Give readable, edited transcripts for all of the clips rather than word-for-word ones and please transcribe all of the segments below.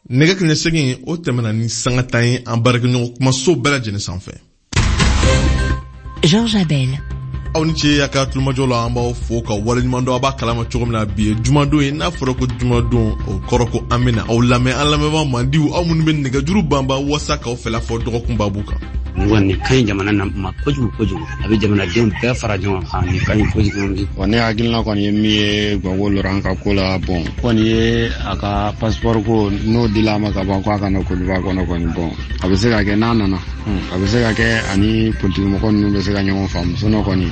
Nɛgɛ kaɲɛ 8 o tɛmɛna ni sanga 10 ye an baarakɛɲɔgɔn kumaso bɛɛ lajɛlen sanfɛ. Georges Abel. Aw ni ce a ka tulomajɔ la, an b'aw fo ka waleɲuman dɔn. A b'a kalama cogo min na, bi ye jumadon ye. N'a fɔra ko jumadon, o kɔrɔ ko an bɛna aw lamɛn, an lamɛnbaa mandiw, aw minnu bɛ nɛgɛjuru banba wasa k'aw fɛla fɔ dɔgɔkun babu kan. Nin kɔni ka ɲi jamana na ma kojugu kojugu, a bɛ jamanadenw bɛɛ fara ɲɔgɔn kan, nin ka ɲi kojugu. Wa ne hakilina kɔni ye min ye Gbagbo Laurent ka ko la, bon kɔni ye a ka passeport ko n'o dila a ma ka ban, ko a ka na Côte d'Ivoire kɔnɔ kɔni, bon a bɛ se ka kɛ n'a nana, a bɛ se ka kɛ ani politique mɔgɔ ninnu bɛ se ka ɲɔgɔn faamu, sinon kɔni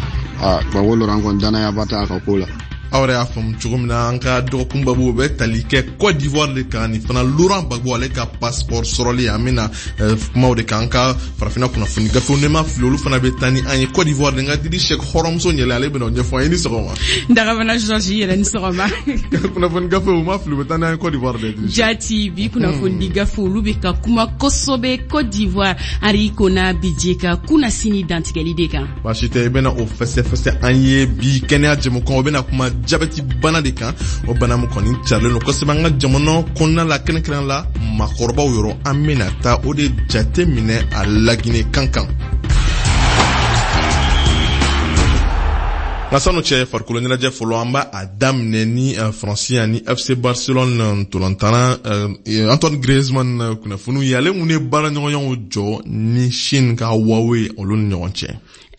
Gbagbo Laurent kɔni danayaba t'a ka ko la. Aw yɛrɛ y'a faamu cogo min na, an ka dɔgɔkun babu bɛ tali kɛ Côte d'Ivoire de kan, ni fana Laurent Gbagbo ale ka passeport sɔrɔli. An bɛna kumaw de kan an ka farafinna kunnafoni gafew, ne ma fili, olu fana bɛ taa ni an ye Côte d'Ivoire de. N ka Didi Sɛk hɔrɔnmuso ɲɛlɛ, ale bɛna o ɲɛfɔ an ye. Ni sɔgɔma. Dagabana Georges, i yɛrɛ ni sɔgɔma. Kunnafoni gafew, ma fili, u bɛ taa n'an ye Côte d'Ivoire de. Jati, bi kunnafoni gafew olu bɛ ka kuma kosɛbɛ Côte d'Ivoire Henri Konan Bédié ka kunnasini dantigɛli de kan. Baasi tɛ, i bɛna o fɛsɛfɛsɛ an ye bi kɛnɛya jɛmukan, o bɛna kuma jabɛti bana de kan, o bana min kɔni carilen don kosɛbɛ an ka jamana kɔnɔna la, kɛrɛnkɛrɛn la maakɔrɔbaw yɔrɔ. An bɛna taa o de jate minɛ a Laginɛ kan kan. Nka sanu cɛ, farikolo ɲɛnajɛ fɔlɔ, an b'a daminɛ ni Faransi ani FC Barcelone ntolantana Antoine Griezmann kunnafoniw ye, ale mun ye baaraɲɔgɔnyaw jɔ ni Chine ka Huawei olu ni ɲɔgɔn cɛ.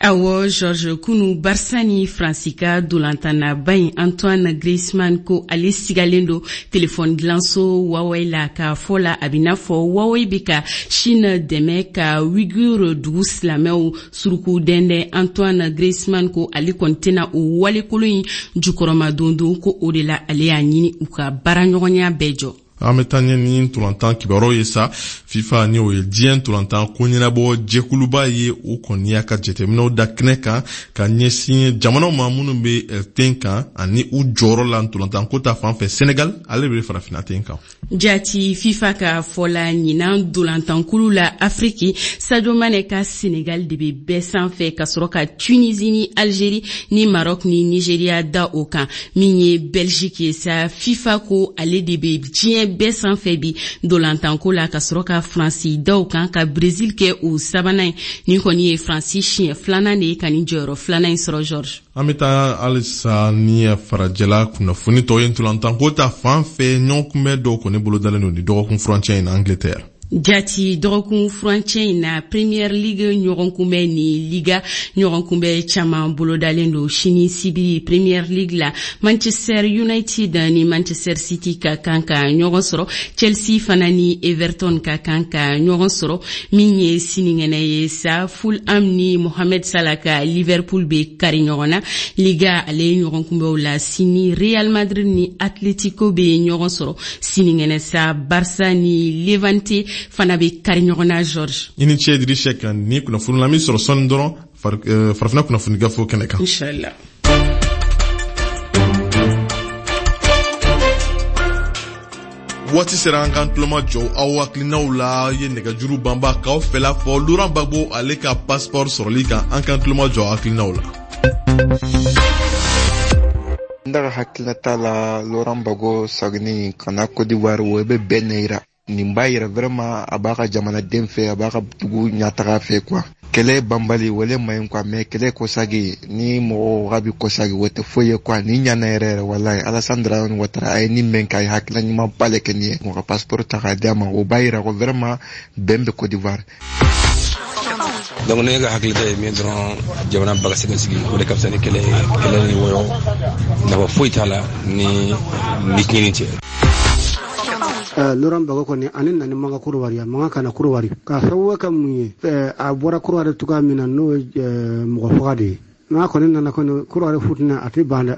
Awɔ Georges, kunu Barça ni Faransi ka dolantannaba in Antoine Griezmann ko ale sigalen don telefɔni dilanso Huawei la. K'a fɔ la, a bɛ n'a fɔ Huawei bɛ ka Chine dɛmɛ ka Uyghur dugu silamɛw suruku dɛndɛn. Antoine Griezmann ko ale kɔni tɛna o walekolon in jukɔrɔma dondon, ko o de la ale y'a ɲini u ka baaraɲɔgɔnya bɛɛ jɔ. An bɛ taa ɲɛ ni ntolantan kibaruyaw ye sa. FIFA, ni o ye diɲɛ ntolantan ko ɲɛnabɔ jɛkuluba ye, o kɔni y'a ka jateminɛw da kɛnɛ kan ka ɲɛsin jamanaw ma minnu bɛ ten kan ani u jɔyɔrɔ la ntolantan ko ta fan fɛ. Senegal ale bɛ farafinna ten kan. Jati, FIFA ka fɔ la, ɲinan dolantankulu la Afriki, Sadio Mane ka Senegal de bɛ bɛɛ sanfɛ, ka sɔrɔ ka Tunisie ni Algérie ni Maroc ni Nigeria da o kan. Min ye Belgique ye sa, FIFA ko ale de bɛ diɲɛ bɛɛ sanfɛ bi dolantanko la, ka sɔrɔ ka Faransi da o kan, ka Brésil kɛ o sabanan ye. Nin kɔni ye Faransi siɲɛ filanan de ye ka nin jɔyɔrɔ filanan in sɔrɔ, Georges. An bɛ taa halisa ni farajɛla kunnafoni tɔw ye ntolantanko ta fan fɛ. Ɲɔgɔn kunbɛn dɔw kɔni bolodalen don ni dɔgɔkun furancɛ in na Angleterre. Jati, dɔgɔkun furancɛ in na, Premier League ɲɔgɔn kunbɛn ni Liga ɲɔgɔn kunbɛn caman bolodalen don sini sibiri. Premier League la, Manchester United ni Manchester City ka kan ka ɲɔgɔn sɔrɔ, Chelsea fana ni Everton ka kan ka ɲɔgɔn sɔrɔ. Min ye sinikɛnɛ ye sa, Fulham ni Mohamed Salah ka Liverpool bɛ kari ɲɔgɔn na. Liga ale ɲɔgɔn kunbɛnw la sini, Real Madrid ni Atletico bɛ ɲɔgɔn sɔrɔ. Sinikɛnɛ sa, Barça ni Levante fana bɛ kari ɲɔgɔn na, Georges. I ni ce Idriss Seck, ni kunnafoni la min sɔrɔ sɔɔni dɔrɔn farafinna kunnafoni gafew kɛnɛ kan. Inshallah. Waati sera an k'an tuloma jɔ aw hakilinaw la ye nɛgɛjuru banba k'aw fɛla fɔ Laurent Gbagbo ale ka passeport sɔrɔli kan. An k'an tuloma jɔ aw hakilinaw la. N daga hakilinata la, Laurent Gbagbo sagini ka na Côte d'Ivoire, o bɛ bɛn ne yira. Nin b'a yira vraiment a b'a ka jamanaden fɛ, a b'a ka dugu ɲɛtaga fɛ quoi. Kɛlɛ banbali wale man ɲi quoi, mais kɛlɛ kɔsagi ni mɔgɔ ka bi kɔsagi o tɛ foyi ye quoi. Nin ɲana yɛrɛ yɛrɛ walayi. Alassane Dramane Ouattara a ye nin mɛn kɛ, a ye hakilina ɲumanba le kɛ nin ye. Mɔgɔ ka passeport ta k'a di a ma, o b'a yira ko vraiment bɛn bɛ Côte d'Ivoire. Donc ne ka hakilita ye min dɔrɔn, jamana ba ka se ka sigi, o de ka fisa ni kɛlɛ ye. Kɛlɛ ni wɔyɔ nafa foyi t'a la ni tiɲɛni tɛ. Laurent Gbagbo kɔni ani nani man ka Korowari, a man ka na Korowari k'a sababu kɛ mun ye? A bɔra Korowari cogoya min na, n'o ye mɔgɔ faga de ye. N'a kɔni nana kɔni Korowari futinɛ, a tɛ ban dɛ.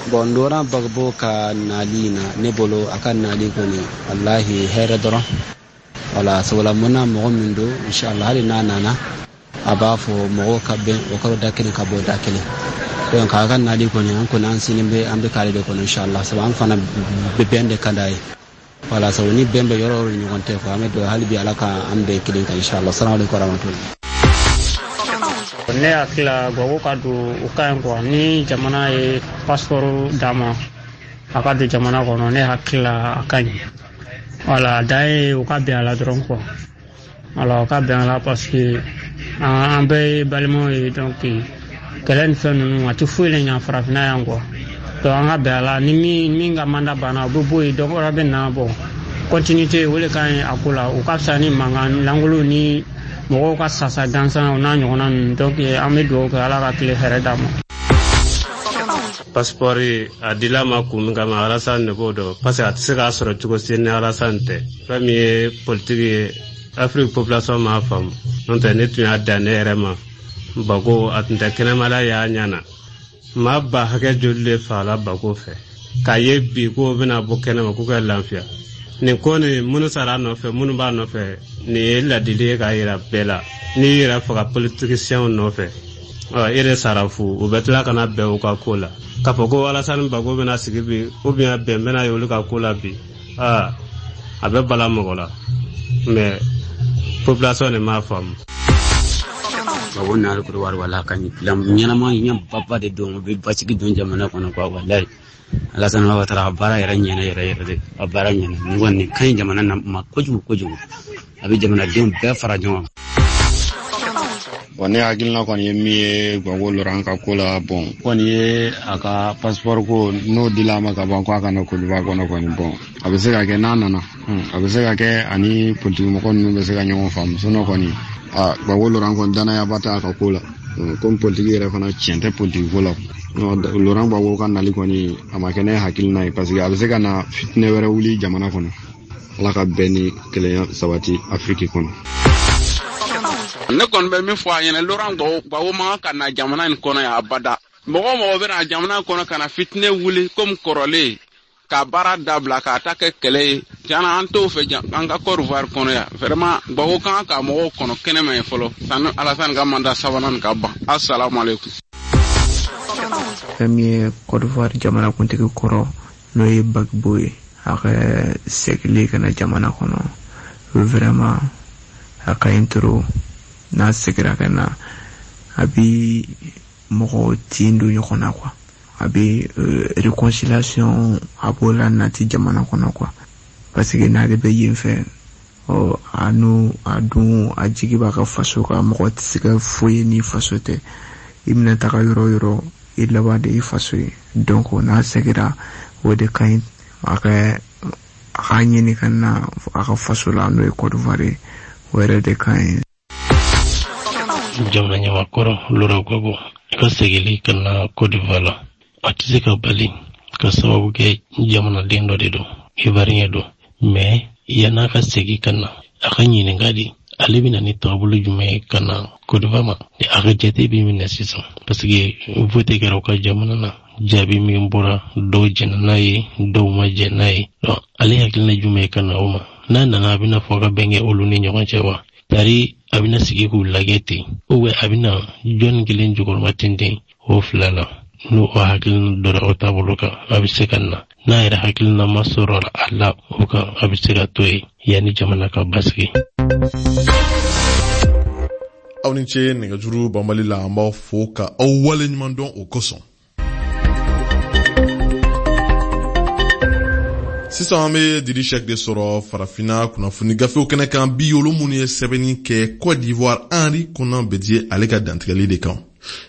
Bon, Laurent Gbagbo ka nali na, ne bolo a ka nali kɔni walahi hɛrɛ dɔrɔn. Wala sabula mun na mɔgɔ min don, inshallah hali n'a nana a b'a fɔ mɔgɔw ka bɛn o kɔrɔ da kelen ka bɔ da kelen. Donc a ka nali kɔni, an kɔni an sini bɛ an bɛ k'ale de kɔnɔ inshallah, sabu an fana bɛ bɛn de ka d'a ye. Wala sabu ni bɛn bɛ yɔrɔ o yɔrɔ ni ɲɔgɔn tɛ quoi, an bɛ don hali bi Ala ka an bɛn kelen kan inshallah. Salamu alaikum warahmatullahi. Ne hakili la Gbagbo ka don o ka ɲi quoi, ni jamana ye passeport d'a ma, A ka don jamana kɔnɔ, ne hakili la a ka ɲi. Wala a dan ye u ka bɛn a la dɔrɔn quoi. Wala u ka bɛn a la parce que an bɛɛ ye balimaw ye, donc kɛlɛ ni fɛn ninnu a tɛ foyi le ɲa farafinna yan quoi. Donc an ka bɛn a la, ni min ka mandat banna, o bɛ bɔ yen, dɔ wɛrɛ bɛ na. Bon, continuité o de ka ɲi a ko la. O ka fisa ni mankan lankolon ni mɔgɔw ka sasa gansan o n'a ɲɔgɔnna ninnu. Donc an bɛ dugawu kɛ, Ala ka tile hɛrɛ d'an ma. Passeport a dila ma kun min kama, Alassane de b'o dɔn, parce que a tɛ se k'a sɔrɔ cogo si ni Alassane tɛ. Fɛn min ye politiki ye, Afiriki population m'a faamu. N'o tɛ, ne tun y'a dan ne yɛrɛ ma Gbagbo, a tun tɛ kɛnɛmala y'a ɲɛ na. Maa ba hakɛ joli de fagala Gbagbo fɛ k'a ye bi k'o bɛna bɔ kɛnɛma k'u ka lafiya nin ko nin. Minnu sara a nɔfɛ, minnu b'a nɔfɛ, nin ye ladili ye k'a yira bɛɛ la: n'i yɛrɛ faga politisiyɛnw nɔfɛ, e de sara fu. U bɛ tila ka na bɛn u ka ko la k'a fɔ ko Alassane Gbagbo bɛna sigi bi ou bien bɛn bɛna ye olu ka ko la bi. Aa, a bɛ bala mɔgɔ la, mais population de m'a faamu. Gbagbo nali Kodowari, wala ka ɲi ɲɛnama ɲɛbaba de don. O bɛ basigi don jamana kɔnɔ quoi. Walayi, Alassane Ouattara a baara yɛrɛ ɲɛna yɛrɛ yɛrɛ de, a baara ɲɛna. Nin kɔni nin ka ɲi jamana na ma kojugu kojugu, a bɛ jamanadenw bɛɛ fara ɲɔgɔn kan. Bon, ne hakilina kɔni ye min ye Gbagbo Laurent ka ko la, bon, kɔni ye a ka passeport ko n'o dila a ma ka ban ko a ka na Côte d'Ivoire kɔnɔ kɔni, bon, a bɛ se ka kɛ n'a nana, a bɛ se ka kɛ ani politiki mɔgɔ ninnu bɛ se ka ɲɔgɔn faamu. Sinon kɔni, a Gbagbo Laurent kɔni, danayaba t'a ka ko la. Komi politiki yɛrɛ fana, tiɲɛ tɛ politiki ko la. Laurent Gbagbo ka nali kɔni, a ma kɛ ne hakilina ye, parce que a bɛ se ka na fitinɛ wɛrɛ wuli jamana kɔnɔ. Ala ka bɛn ni kelenya sabati Afiriki kɔnɔ. Ne kɔni bɛ min fɔ a ɲɛna, Laurent Gbagbo man kan ka na jamana in kɔnɔ yan abada. Mɔgɔ o mɔgɔ bɛna jamana kɔnɔ ka na fitinɛ wuli komi kɔrɔlen, ka baara dabila k'a ta kɛ kɛlɛ ye, tiɲɛna an t'o fɛ an ka Côte d'Ivoire kɔnɔ yan. Vraiment, Gbagbo kan ka mɔgɔw kɔnɔ kɛnɛma ye fɔlɔ sani Alassane ka mandat sabanan ka ban. Assalamu alaikum. Fɛn min ye Côte d'Ivoire jamanakuntigi kɔrɔ, n'o ye Gbagbo ye, a ka segili ka na jamana kɔnɔ, vraiment a ka ɲi trop. N'a segira ka na, a bi mɔgɔw tin don ɲɔgɔn na quoi. A bɛ réconciliation, a b'o la nati jamana kɔnɔ quoi, parce que n'ale bɛ yen fɛ, ɔ a n'o a dun a jigi b'a ka faso kan. Mɔgɔ tɛ se ka foyi ye ni faso tɛ. I bɛna taga yɔrɔ o yɔrɔ, i laban de i faso ye. Donc n'a segira, o de ka ɲi. A ka ɲini ka na a ka faso la, n'o ye Côte d'Ivoire ye, o yɛrɛ de ka ɲi. Jamana ɲamakɔrɔ Laurent Gbagbo ka segili ka na Côte d'Ivoire la, a tɛ se ka bali ka sababu kɛ jamanaden dɔ de don, Ivoirien don. Mais yann'a ka segi ka na, a ka ɲininka de ale bɛna ni taabolo jumɛn ye ka na Côte d'Ivoire ma. A ka jate bɛ minɛ sisan, parce que vote kɛra u ka jamana na, jaabi min bɔra, dɔw jɛnna n'a ye, dɔw ma jɛn n'a ye. Donc ale hakilina jumɛn ye ka na o ma? N'a nana, a bɛna fɔ ka bɛn kɛ olu ni ɲɔgɔn cɛ wa, tari a bɛna sigi k'u lajɛ ten, ou bien a bɛna jɔnni kelen jukɔrɔma tenten? O fila la, n'o o hakilina dɔra o taabolo kan, a bɛ se ka na. N'a yɛrɛ hakilina ma sɔrɔ a la o kan, a bɛ se ka to yen yanni jamana ka basigi. Aw ni ce nɛgɛjuru banbali la. An b'aw fo ka aw wale ɲuman dɔn o kosɔn. Sisan an bɛ Didi Sɛk de sɔrɔ Farafina kunnafoni gafew kɛnɛ kan bi, olu minnu ye sɛbɛnni kɛ Côte d'Ivoire, Henri Konan Bédié ale ka dantigɛli de kan.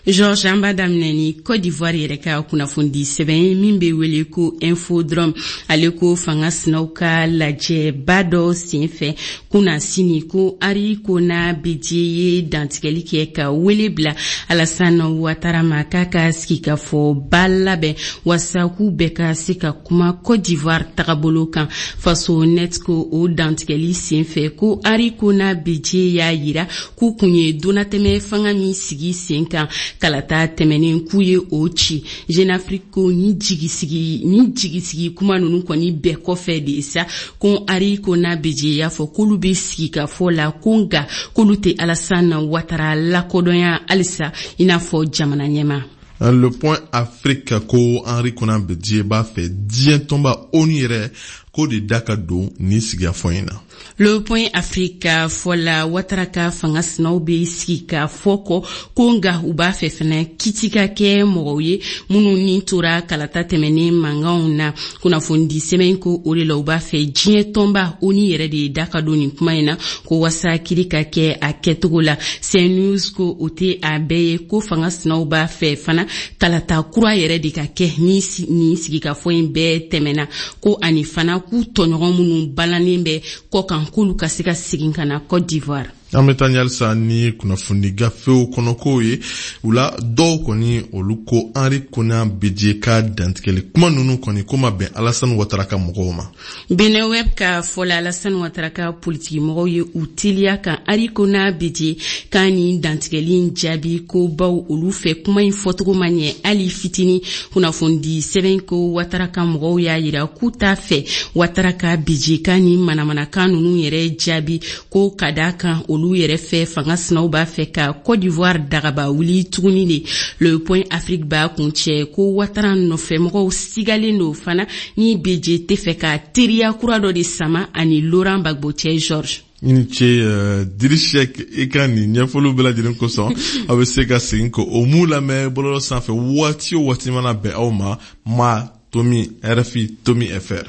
George, an b'a daminɛ ni Côte d'Ivoire yɛrɛ ka kunnafonidi sɛbɛn ye min bɛ wele ko Infodrome. Ale ko fanga sinaw ka lajɛba dɔ senfɛ kunasini ko Henri Konan Bédié ye dantigɛli kɛ ka wele bila Alassane Ouattara ma k'a ka sigikafɔba labɛn waasa k'u bɛɛ ka se ka kuma Côte d'Ivoire tagabolo kan. Faso Net ko o dantigɛli senfɛ ko Henri Konan Bédié y'a yira k'u kun ye donnatɛmɛ fanga min sigi sen kan kalata tɛmɛnen, k'u ye o ci. Jeune Afrique ko ni jigisigi kuma ninnu kɔni bɛɛ kɔfɛ de sa, ko Henri Konan Bédié y'a fɔ k'olu bɛ sigikafɔ la, ko nka k'olu tɛ Alassane Ouattara lakodɔnya halisa i n'a fɔ jamana ɲɛma. Le Point Afrique ko Henri Konan Bédié b'a fɛ diɲɛ tɔnba ONU yɛrɛ k'o de da ka don nin sigikafɔ in na. Le Point Afrique fɔ la, Watara ka fanga sinaw bɛ sigikafɔ kɔ ko, nka u b'a fɛ fana kiti ka kɛ mɔgɔw ye minnu ni tora kalata tɛmɛnen mankanw na. Kunnafonidi sɛbɛn ko o de la, u b'a fɛ diɲɛ tɔnba ONU yɛrɛ de da ka don nin kuma in na, ko wasa kiri ka kɛ a kɛcogo la. CNews ko o tɛ a bɛɛ ye, ko fanga sinaw b'a fɛ fana kalata kura yɛrɛ de ka kɛ ni nin sigikafɔ in bɛɛ tɛmɛna, ko ani fana k'u tɔɲɔgɔn minnu balannen bɛ kɔkan, k'olu ka se ka segin ka na Côte d'Ivoire. An bɛ taa ɲalisa ni kunnafoni gafew kɔnɔkow ye. U la dɔw kɔni, olu ko Henri Konan Bédié ka dantigɛli kuma ninnu kɔni ko ma bɛn Alassane Ouattara ka mɔgɔw ma. Benin Web ka fɔ la, Alassane Ouattara ka politiki mɔgɔw ye u teliya ka Henri Konan Bédié ka nin dantigɛli in jaabi, ko baw olu fɛ kuma in fɔcogo ma ɲɛ hali fitini. Kunnafonidi sɛbɛn ko Ouattara ka mɔgɔw y'a yira k'u t'a fɛ Ouattara ka Bédié ka nin manamanakan ninnu yɛrɛ jaabi, ko ka da kan olu yɛrɛ fɛ, fanga sinaw b'a fɛ ka Côte d'Ivoire dagaba wuli tuguni de. Le Point Afrique b'a kuncɛ ko Ouattara nɔfɛmɔgɔw sigalen don fana ni Bédié tɛ fɛ ka teriya kura dɔ de sama ani Laurent Gbagbo cɛ, Georges. I ni ce, Diri Sɛk, i ka nin ɲɛfɔliw bɛɛ lajɛlen kosɔn. Aw bɛ se ka segin ko o mun lamɛn bɔlɔlɔ sanfɛ waati o waati mana bɛn aw ma, ma tomi RFI tomi FR.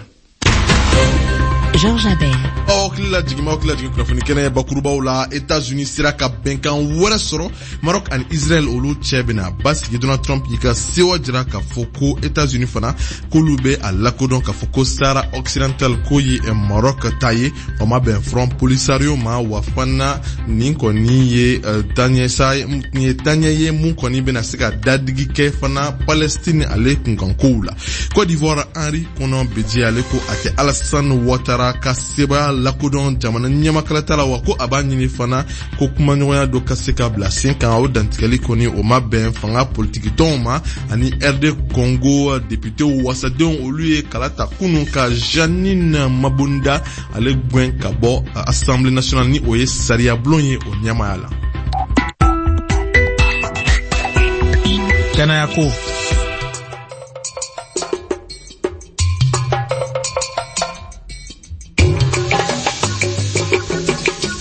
Georges Abel. Aw hakili la jigin, aw hakili la jigin kunnafoni kɛnɛ bakurubaw la, Etats-Unis sera ka bɛnkan wɛrɛ sɔrɔ Maroc ani Israël, olu cɛ bɛna basigi. Donald Trump y'i ka sewa jira k'a fɔ ko Etats-Unis fana k'olu bɛ a lakodɔn k'a fɔ ko Sahara occidental ko ye Maroc ta ye. O ma bɛn Front Polisario ma. Wa fana nin kɔni ye taaɲɛ sa, nin ye taaɲɛ ye mun kɔni bɛna se ka dadigi kɛ fana Palestine ale kunkankow la. Côte d'Ivoire, Henri Konan Bédié, ale ko a tɛ Alassane Ouattara ka sebaya lakodɔn jamana ɲɛmakalata la, wa ko a b'a ɲini fana ko kumaɲɔgɔnya dɔ ka se ka bila sen kan. O dantigɛli kɔni, o ma bɛn fanga politikitɔnw ma. Ani RD Congo députéw, wasadenw, olu ye kala ta kunun ka Jeanine Mabunda ale gwɛn ka bɔ Assemblée nationale, ni o ye sariyabulon ye, o ɲɛmaya la. Kɛnɛya ko.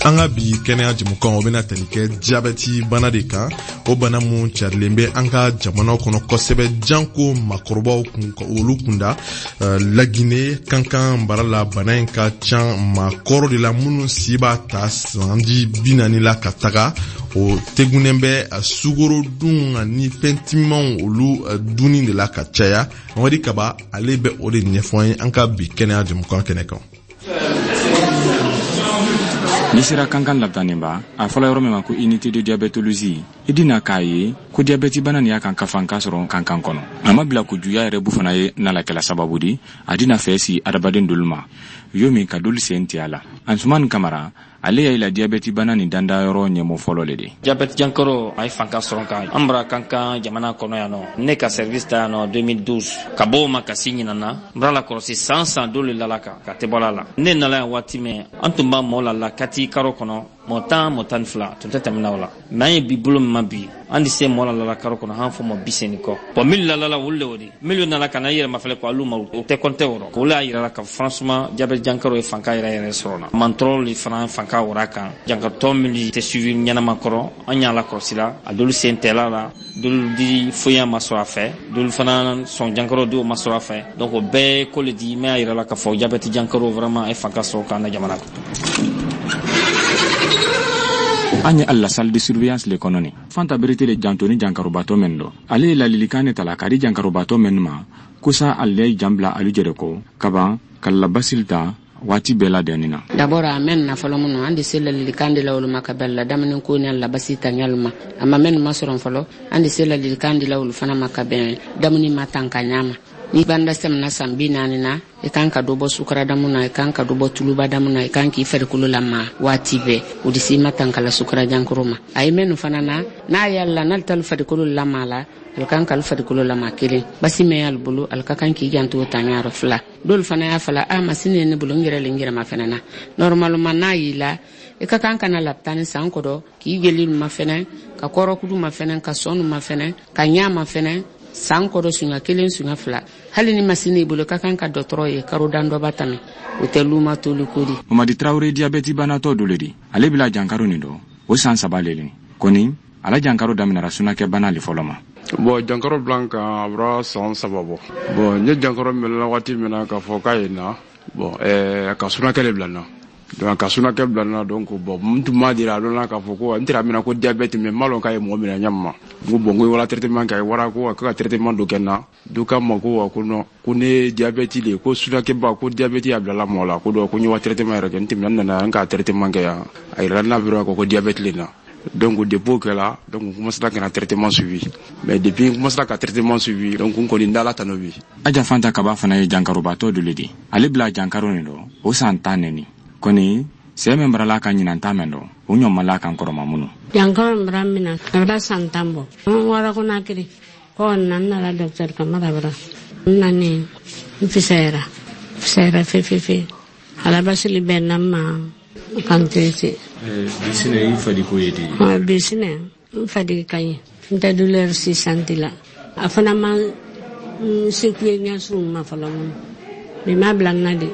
An ka bi kɛnɛya jɛmukan, o bɛna tali kɛ jabɛti bana de kan, o bana mun carilen bɛ an ka jamanaw kɔnɔ kosɛbɛ, janko makɔrɔbaw kun, olu kunda. Lagine Kankan bara la, bana in ka ca maakɔrɔ de la minnu si b'a ta sanji 40 la ka taga. O tegunnen bɛ sukorodun ani fɛn timimanw olu dunni de la ka caya. Mamadi Kaba, ale bɛ o de ɲɛfɔ an ye an ka bi kɛnɛya jɛmukan kɛnɛ kan. N'i sera Kankan labitaniba, a fɔla yɔrɔ min ma ko unité de diabétologie, i dina k'a ye ko diabɛti bana nin y'a kan ka fanka sɔrɔ Kankan kɔnɔ. A ma bila ko juya yɛrɛ bu fana ye nalakɛla sababu di a dina fɛ si adamaden dolu ma yo min ka dolu sen tiya la. Ansuman Kamara, ale y'a la diabɛti bana nin danda yɔrɔ ɲɛmɔ fɔlɔ le de. Diabɛti jankaro a ye fanka sɔrɔ kan an bara Kankan jamana kɔnɔ yan nɔ. Ne ka service ta yan nɔ 2012, ka bɔ o ma ka si ɲinan na, n bara la kɔlɔsi san san dolu le lala kan ka tɛ bɔla la. Ne nala yan waati min, an tun b'a mɔɔ la la kati karo kɔnɔ mɔɔ 10, mɔɔ 12, tun tɛ tɛmɛna o la. Mɛ an ye bi bolo min ma bi, an di se mɔɔ la lala karo kɔnɔ han fɔ mɔɔ 80 kɔ. Bɔn, minnu lalala, olu le o di minnu nana ka na i yɛrɛ mafɛlɛ ko alu ma, o tɛ kɔntɛ o rɔ. Olu y'a yira la ka franchement diabɛte jankaro ye fanka yɛrɛ yɛrɛ sɔrɔ na mantɔrɔ le fana fanka wara kan. Jankarotɔ minnu tɛ suivi ɲɛnama kɔrɔ, an y'a lakɔlɔsi la, a dolu sen tɛla la, dolu di foyi ma sɔrɔ a fɛ, dolu fana sɔn jankaro dɔw ma sɔrɔ a fɛ. Donc o bɛɛ ko le di mɛ y'a yira la k'a fɔ diabɛte jankaro vraiment a ye fanka sɔrɔ k'an na jamana kɔnɔ. An ye ali la salle de surveillance le kɔnɔ nin. Fanta Berete le janto ni jankarobatɔ mɛn dɔ. Ale ye lalilikan ne tala k'a di jankarobatɔ mɛn ma ko sa ale ye jan bila alu jɛrɛ kɔ kaban ka labasili ta waati bɛɛ ladɛnni na. D'abord a mɛn na fɔlɔ minnu, an de se lalilikan de la olu ma ka bɛn la damani ko ni labasi ta ɲalu ma. A ma mɛn ma sɔrɔ fɔlɔ, an de se lalilikan de la olu fana ma ka bɛn damani ma tan ka ɲa ma. Ni banda sɛmina san 40 na, i kan ka dɔ bɔ sukaradamu na, i kan ka dɔ bɔ tulubadamu na, i kan k'i farikolo lama waati bɛɛ. O de si ma tankala sukara jankaro ma. A ye mɛnu fana na, n'a y'a la n'ale t'ale farikolo lama la, ale kan k'ale farikolo lama kelen basi mɛn y'ale bolo, ale ka kan k'i janto ta ɲayɔrɔ fila. Dɔw fana y'a fɔla a masini ye ne bolo, n yɛrɛ le n yɛrɛ ma fɛnɛ na. Normalement n'a y'i la, i ka kan ka na lapitani san kɔdɔ k'i jeli ma fɛnɛ, ka kɔrɔkudu ma fɛnɛ, ka sɔnu ma fɛnɛ, ka ɲa ma fɛnɛ. San kɔrɔ suɲa 1 suɲa 2. Hali ni masini i bolo ka kan ka dɔgɔtɔrɔ ye karo dan dɔ ba tɛmɛ. O tɛ luma toli ko di. Mamadi Traoré diabɛti banatɔ dɔ le di. Ale bila jankaro nin dɔ. O san 3 le nin. Kɔni ala jankaro daminɛra sunakɛ bana le fɔlɔ ma. Bon jankaro bila kan a bɔra san 3 bɔ. Bon n ye jankaro minɛ waati min na k'a fɔ k'a ye na. Bon ka sunakɛ le bila n na. Donc ka sunakɛ bila n na donc bon n tun m'a dira a dɔn k'a fɔ ko n tɛra minɛ ko diabète mais n m'a lɔn k'a ye mɔgɔ minɛ ɲɛ ma. N ko bon n ko wala traitement kɛ wara ko ka traitement dɔ kɛ n na. Dɔ k'a ma ko ko non ko ne ye diabète le ko sunakɛba ko diabète y'a bilala mɔgɔ la ko donc ko n ye wa traitement yɛrɛ kɛ n tɛmɛna n nana n ka traitement kɛ yan a yirala n na dɔrɔn ko diabète le na. Donc depuis o kɛla donc n commencera ka na traitement suivi mais depuis n commencera ka traitement suivi donc n kɔni n dala tano bi. Aja Fanta Kaba fana ye jankarobatɔ dɔ le di. Ale bila jankaro nin dɔ o san 10 neni. Kɔni sɛ min barala ka ɲinan ta mɛn dɔ o ɲɔ ma la kan kɔrɔma minnu. Jankaro min bara min na a bara san 10 bɔ. N wara ko n'a kiri ko n na n nana docteur Kamara bara n nani n fisayara fisayara fefefe ala basili bɛn na n ma kan traité. Bi sinɛ i fadi ko ye di? Bi sinɛ n fadi ka ɲi n tɛ douleur si santi la a fana ma n secoué ɲɛsiw ma fɔlɔ mun bi ma bila n na de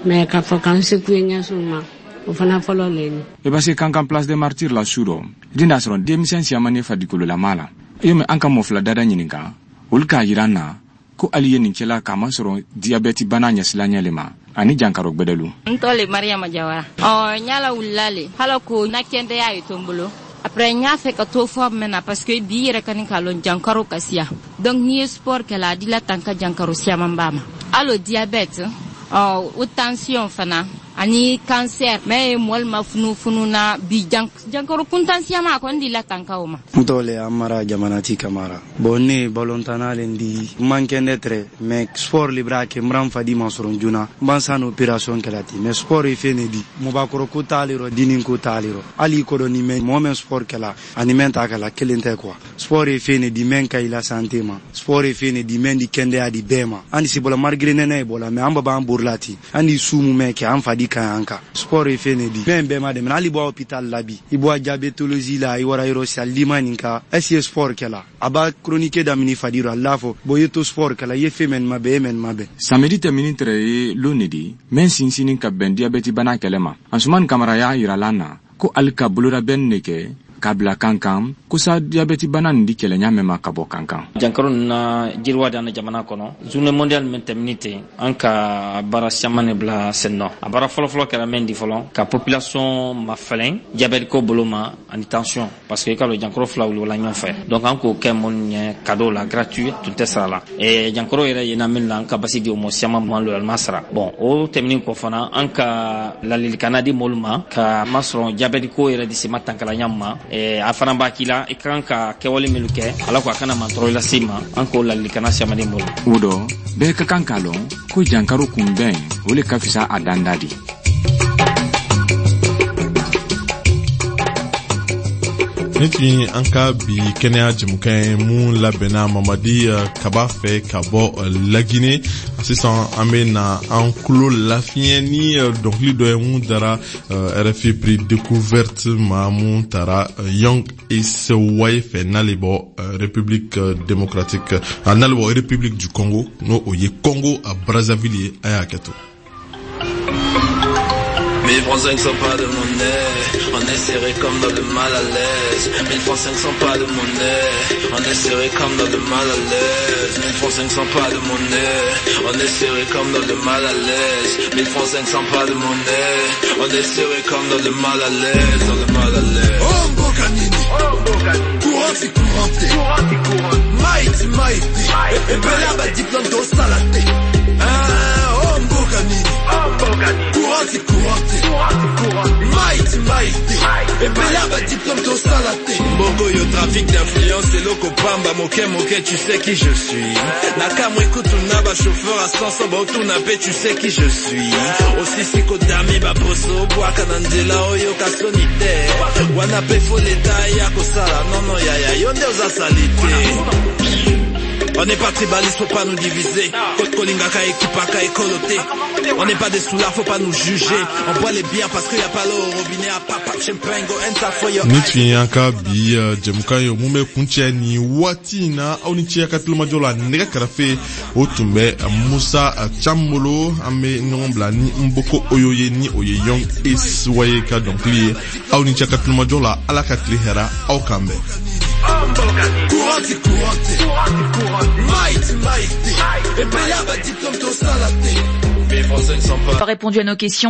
mais k'a fɔ k'an secoué ɲɛsiw ma o fana fɔlɔ le ye. I b'a se Kankan place des Martyrs la su dɔ i tɛna sɔrɔ denmisɛn siyaman ne fadikololama la i mɛ an ka mɔ fila dada ɲininka olu k'a yira n na ko hali ye nin kɛla k'a masɔrɔ diyabɛti bana ɲɛsilanɲɛ le ma ani jankaro gbɛdɛlu. N tɔ le Mariama Jawara. Ɔ n y'a wulila le hala ko na kɛndɛya ye to n bolo. Après n y'a fɛ ka to forme na parce que bi yɛrɛ ka nin k'a lɔn jankaro ka siya. Donc n'i ye sport kɛ la a di la tan ka jankaro siyaman b'a ma. Hali o diabète ɔ o tension fana ani cancer mais mɔli ma funufunu na bi jankaro kuntan siyama a kɔni di la tan ka o ma. N tɔgɔ le Amara Jamanati Kamara. Bon ne balontanna le di n man kɛnɛ tɛrɛ mais sport le b'a kɛ n b'an fadi ma sɔrɔ joona n b'an san opération kɛla ten mais sport ye fɛn de di mɔbakɔrɔ ko t'ale rɔ dini ko t'ale rɔ hali i kɔdɔ ni mɛ mɔgɔ min sport kɛla ani mɛn t'a kɛla kelen tɛ quoi sport ye fɛn de di mɛn ka i la santé ma sport ye fɛn de di mɛn di kɛndɛya di bɛɛ ma an si bɔla malgré nɛnɛ ye bɔla mais an ba b'an borila ten an ni su mun mɛn kɛ an fadi ka ɲi an kan sport ye fɛn de di mɛn bɛɛ ma dɛmɛ hali bɔ hôpital la bi i bɔ diabétologie la i wara yɔrɔ si a ma nin ka est ce que sport kɛla a b'a chronique daminɛ fadi rɔ a l'a fɔ bon i ye to sport kɛla i ye fɛn mɛn ma bɛn e mɛn ma bɛn. Samedi tɛmɛnin tɛrɛ ye lon de di mɛn sinsinni ka bɛn diabɛti bana kɛlɛ ma Ansumani Kamara y'a yira la na ko hali ka bololabɛn de kɛ k'a bila Kankan ko sa diabɛti bana nin di kɛlɛɲa mɛn ma ka bɔ Kankan. Jankaro ninnu na jiriwa dan jamana kɔnɔ journée mondiale min tɛmɛni ten an ka baara caman de bila sen nɔ a baara fɔlɔfɔlɔ kɛra min di fɔlɔ ka population mafɛlɛn diabɛte ko bolo ma ani tension parce que i ka lɔ jankaro fila wuli ɲɔgɔn fɛ donc an k'o kɛ minnu ɲɛ cadeau la gratuit tun tɛ sara la jankaro yɛrɛ yena min na an ka basi di o mɔ siaman ma lɔlima sara bon o tɛmɛni kɔ fana an ka ladilikan di mɔlu ma ka masɔrɔ diabɛte ko yɛrɛ di sema tankalanya ma a fana b'a k'i la i ka kan ka kɛwale minnu kɛ ala ko a kana mantɔrɔ lase ma an k'o ladilikan siaman di mɔlu. O dɔ bɛɛ ka kan k'a lɔn ko jankaro kunbɛn o le ka fisa a danda di. Nin tun ye an ka bi kɛnɛya jɛmukan ye mun labɛnna Mamadi Kaba fɛ ka bɔ Laginɛ. Sisan an bɛ na an tulo lafiɲɛ ni dɔnkili dɔ ye mun dara RFI Prix Découverte ma mun taara Young Esewai fɛ n'ale bɔ République démocratique n'ale bɔ République du Congo n'o o ye Congo a Brazzaville ye a y'a kɛ to. 1000 francs 500 pas de monnaie, on est serré comme dans le mal à l'aise. 1000 francs 500 pas de monnaie, on est serré comme dans le mal à l'aise. 1000 francs 500 pas de monnaie, on est serré comme dans le mal à l'aise. 1000 francs 500 pas de monnaie, on est serré comme dans le mal à l'aise, dans le mal à l'aise. Oh Mbokanini, courante courante, maïti maïti, et bella ba diplôme salaté. Ah oh Mbokanini, courante courante, maïti maïti, et bella ba diplôme salaté. Mbongo yo trafic d'influence et loko pamba moke moke, tu sais qui je suis. Nakamwe kutuna ba chauffeur à 500 ba otuna pe, tu sais qui je suis. Aussi siko dami ba poso bwaka na nzela oyo kasonite. Wana pe fo leta ya kosala non non ya ya yo nde oza salite. On n'est pas tribaliste, faut pas nous diviser. Kolingaka ekipaka ekolo te. On n'est pas des soulards, faut pas nous juger. On boit les bières parce qu'il y a pas l'eau au robinet. À papa champagne, go enter for your Ni tun ye an ka bi jɛmukan ye, mun bɛ kuncɛ ni waati in na. Aw ni ce a ka tulomajɔ la. Nɛgɛ kɛrɛfɛ, o tun bɛ Musa Cam bolo. An bɛ ɲɔgɔn bila ni Nboko Oyo ye, ni o ye Young Ace Waye ka dɔnkili ye. Aw ni ce a ka tulomajɔ la. Ala ka tile hɛra aw kan bɛn. Courant ti courant te. Mai ti mai te. Ebele ba diplôme tosala te. Pas répondu à nos questions.